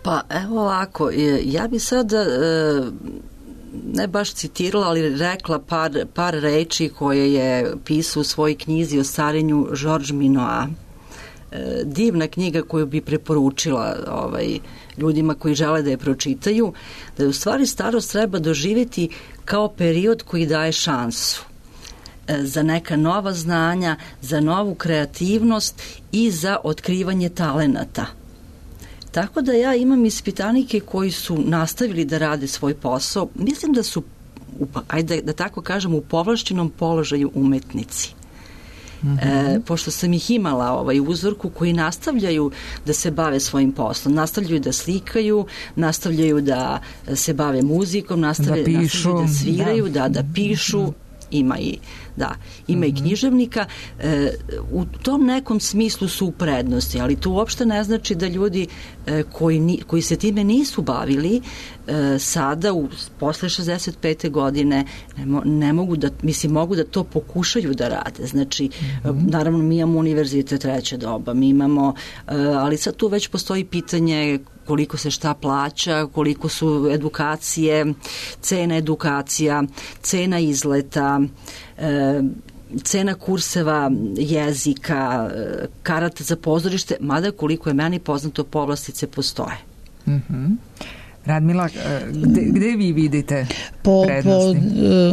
Pa evo ovako, ja bi sad ne baš citirala, ali rekla par reči koje je pisao u svojoj knjizi o starenju Georges Minois. divna knjiga koju bi preporučila ljudima koji žele da je pročitaju, da je u stvari starost treba doživjeti kao period koji daje šansu za neka nova znanja, za novu kreativnost i za otkrivanje talenata. Tako da ja imam ispitanike koji su nastavili da rade svoj posao. Mislim da su, ajde da tako kažem, u povlašćenom položaju umetnici. Pošto sam ih imala uzorku koji nastavljaju da se bave svojim poslom, nastavljaju da slikaju, nastavljaju da se bave muzikom, nastavljaju da sviraju, da pišu, ima i književnika. U tom nekom smislu su u prednosti, ali to uopšte ne znači da ljudi koji se time nisu bavili sada posle 65. godine ne mogu da, mogu da to pokušaju da rade. Znači, naravno mi imamo univerzitet treće doba, mi imamo, ali sad tu već postoji pitanje koliko se šta plaća, koliko su edukacije, cena edukacija, cena izleta, cena kurseva jezika, karata za pozorište, mada koliko je meni poznato, povlastice postoje. Radmila, gde vi vidite prednosti?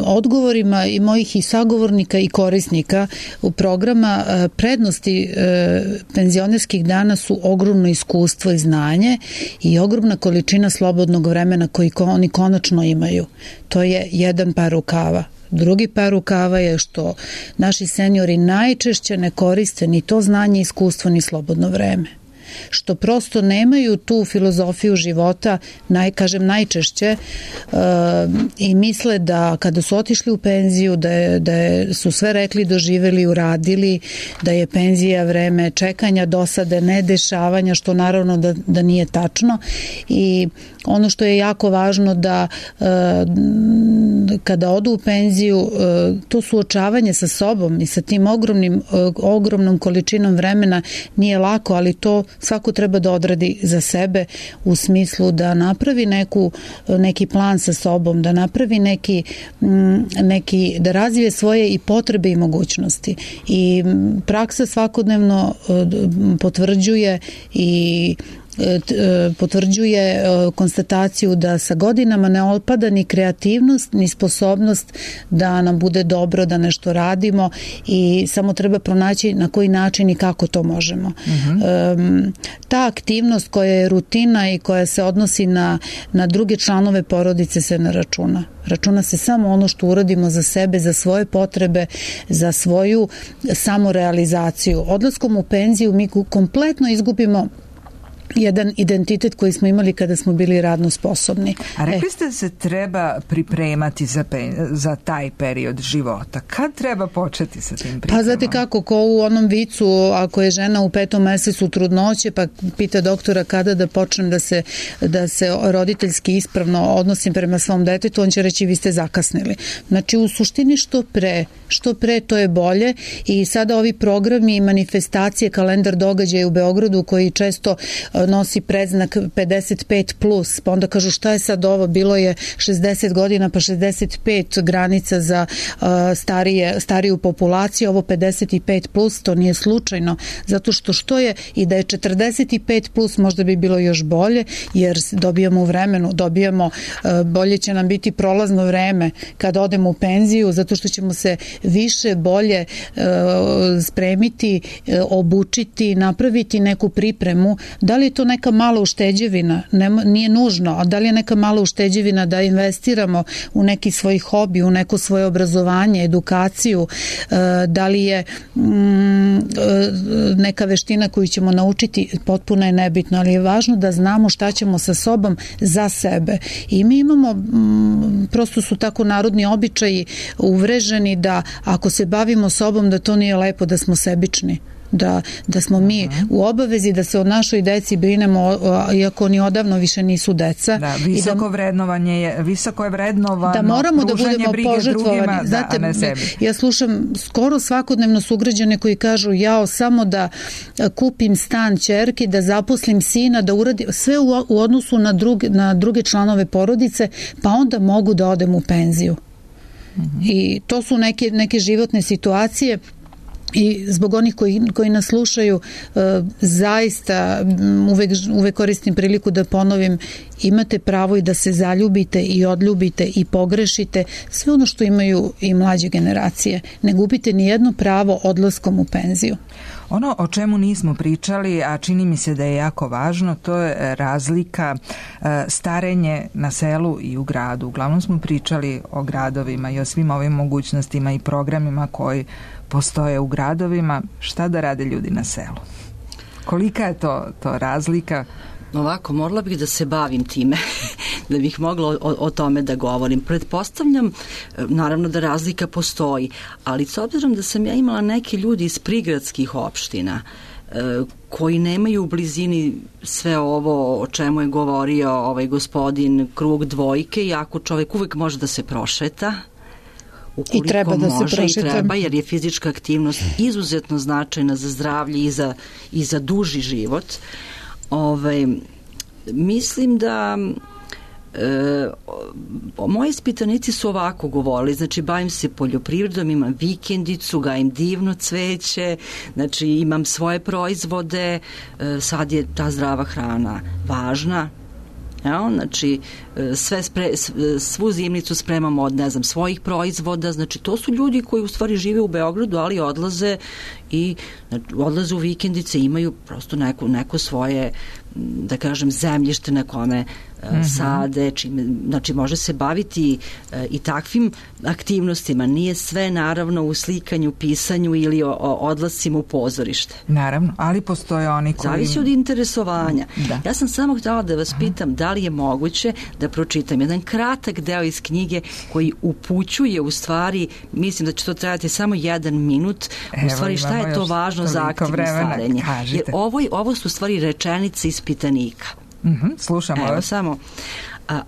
Po odgovorima i mojih i sagovornika i korisnika u programa, prednosti penzionerskih dana su ogromno iskustvo i znanje i ogromna količina slobodnog vremena koji oni konačno imaju. To je jedan par rukava. Drugi par rukava je što naši seniori najčešće ne koriste ni to znanje, iskustvo, ni slobodno vreme. Što prosto nemaju tu filozofiju života, najčešće, i misle da kada su otišli u penziju, da su sve rekli, doživeli, uradili, da je penzija vreme čekanja, dosade, nedešavanja, što naravno da nije tačno. I ono što je jako važno da kada odu u penziju, to suočavanje sa sobom i sa tim ogromnom količinom vremena nije lako, ali to svako treba da odradi za sebe u smislu da napravi neki plan sa sobom, da napravi da razvije svoje i potrebe i mogućnosti. I praksa svakodnevno potvrđuje konstataciju da sa godinama ne opada ni kreativnost, ni sposobnost da nam bude dobro, da nešto radimo, i samo treba pronaći na koji način i kako to možemo. Ta aktivnost koja je rutina i koja se odnosi na druge članove porodice se ne računa. Računa se samo ono što uradimo za sebe, za svoje potrebe, za svoju samorealizaciju. Odlaskom u penziju mi kompletno izgubimo jedan identitet koji smo imali kada smo bili radno sposobni. A rekli ste da se treba pripremati za taj period života. Kad treba početi sa tim pripremom? Pa znate kako, ko u onom vicu, ako je žena u 5. mesecu trudnoće, pa pita doktora kada da počnem da se roditeljski ispravno odnosim prema svom detetu, on će reći vi ste zakasnili. Znači u suštini što pre to je bolje, i sada ovi programi i manifestacije, kalendar događaja u Beogradu koji često nosi predznak 55+, pa onda kažu šta je sad ovo, bilo je 60 godina pa 65 granica za stariju populaciju, ovo 55+, to nije slučajno, zato što je i da je 45+, možda bi bilo još bolje, jer dobijamo u vremenu, bolje će nam biti prolazno vreme kad odemo u penziju, zato što ćemo se više, bolje spremiti, obučiti, napraviti neku pripremu. Da li je to neka mala ušteđevina? Nije nužno, a da li je neka mala ušteđevina da investiramo u neki svoj hobi, u neko svoje obrazovanje, edukaciju, da li je neka veština koju ćemo naučiti, potpuno je nebitno, ali je važno da znamo šta ćemo sa sobom za sebe. I mi imamo, prosto su tako narodni običaji uvreženi da ako se bavimo sobom da to nije lepo, da smo sebični. Da smo mi u obavezi da se o našoj deci brinemo, iako oni odavno više nisu deca. Da, visoko je vrednovano, da moramo da budemo požrtvovani. Znate, ja slušam skoro svakodnevno sugrađane koji kažu samo da kupim stan ćerki, da zaposlim sina, da uradim sve u odnosu na druge članove porodice, pa onda mogu da odem u penziju. I to su neke životne situacije I zbog onih koji nas slušaju, zaista uvek koristim priliku da ponovim, imate pravo i da se zaljubite i odljubite i pogrešite, sve ono što imaju i mlađe generacije. Ne gubite ni jedno pravo odlaskom u penziju. Ono o čemu nismo pričali, a čini mi se da je jako važno, to je razlika starenje na selu i u gradu. Uglavnom smo pričali o gradovima i o svim ovim mogućnostima i programima koji postoje u gradovima. Šta da rade ljudi na selu? Kolika je to razlika? Ovako, morala bih da se bavim time, da bih mogla o tome da govorim. Pretpostavljam, naravno da razlika postoji, ali s obzirom da sam ja imala neke ljudi iz prigradskih opština, koji nemaju u blizini sve ovo o čemu je govorio ovaj gospodin, krug dvojke, iako čovek uvek može da se prošeta, i treba da se prošeta. I treba, jer je fizička aktivnost izuzetno značajna za zdravlje i za duži život. Mislim da moji ispitanici su ovako govorili, znači bavim se poljoprivredom, imam vikendicu, gajim divno cveće, znači imam svoje proizvode, sad je ta zdrava hrana važna. Znači svu zimnicu spremamo od svojih proizvoda, znači to su ljudi koji u stvari žive u Beogradu, ali odlaze u vikendice, imaju prosto neko svoje, da kažem, zemljište na kome sade, znači može se baviti i takvim aktivnostima. Nije sve naravno u slikanju, pisanju ili odlascima u pozorište. Naravno, ali postoje oni koji... Zavisi od interesovanja. Da. Ja sam samo htjela da vas pitam da li je moguće da pročitam jedan kratak deo iz knjige koji upućuje u stvari, mislim da će to trajati samo 1 minut, u stvari šta je to važno za aktivno starenje. Jer ovo su u stvari rečenice ispitanika. Slušamo. Evo samo.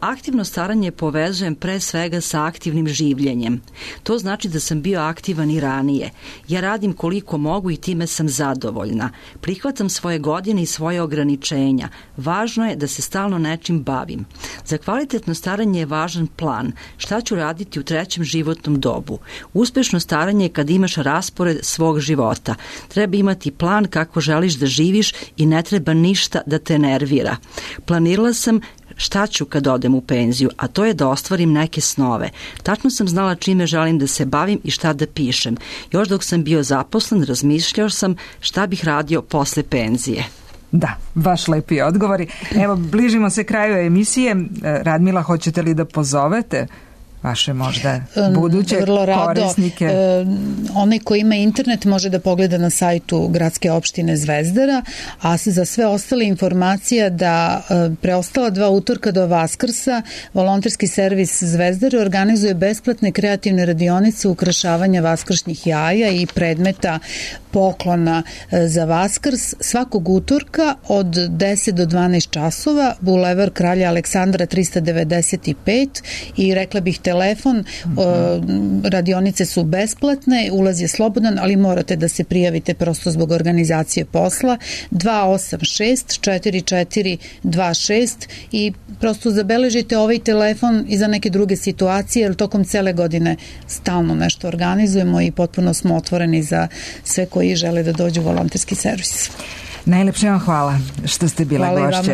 Aktivno staranje povezujem pre svega sa aktivnim življenjem. To znači da sam bio aktivan i ranije. Ja radim koliko mogu i time sam zadovoljna. Prihvatam svoje godine i svoje ograničenja. Važno je da se stalno nečim bavim. Za kvalitetno staranje je važan plan. Šta ću raditi u 3. životnom dobu? Uspešno staranje je kad imaš raspored svog života. Treba imati plan kako želiš da živiš i ne treba ništa da te nervira. Planirala sam šta ću kad odem u penziju, a to je da ostvarim neke snove. Tačno sam znala čime želim da se bavim i šta da pišem. Još dok sam bio zaposlen, razmišljao sam šta bih radio posle penzije. Da, baš lepi odgovori. Evo, bližimo se kraju emisije. Radmila, hoćete li da pozovete vaše možda buduće korisnike? Onaj ko ima internet može da pogleda na sajtu Gradske opštine Zvezdara, a za sve ostale informacije da preostala 2 utorka do Vaskrsa volonterski servis Zvezdare organizuje besplatne kreativne radionice ukrašavanja vaskršnjih jaja i predmeta poklona za Vaskrs svakog utorka od 10 do 12 časova, Bulevar Kralja Aleksandra 395 i rekla bih telefon, radionice su besplatne, ulaz je slobodan, ali morate da se prijavite prosto zbog organizacije posla, 286 4426 i prosto zabeležite ovaj telefon i za neke druge situacije, jer tokom cele godine stalno nešto organizujemo i potpuno smo otvoreni za sve koji žele da dođu u volonterski servis. Najlepše vam hvala što ste bila gošće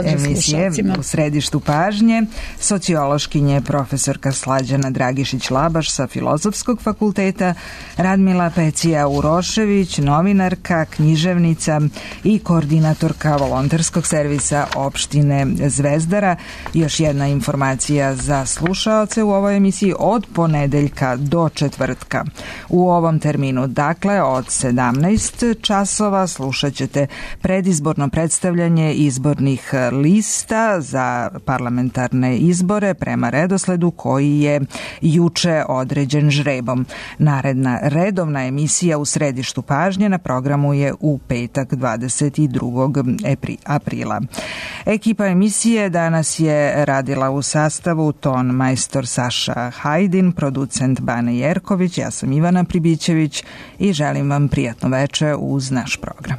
emisije U središtu pažnje. Sociološkinje profesorka Slađana Dragišić-Labaš sa Filozofskog fakulteta, Radmila Pecija-Urošević, novinarka, književnica i koordinatorka volonterskog servisa opštine Zvezdara. Još jedna informacija za slušaoce u ovoj emisiji: od ponedeljka do četvrtka u ovom terminu, dakle od 17 časova, slušat ćete predizborno predstavljanje izbornih lista za parlamentarne izbore prema redosledu koji je juče određen žrebom. Naredna redovna emisija U središtu pažnje na programu je u petak 22. aprila. Ekipa emisije danas je radila u sastavu ton majstor Saša Hajdin, producent Bane Jerković, ja sam Ivana Pribićević i želim vam prijatno veče uz naš program.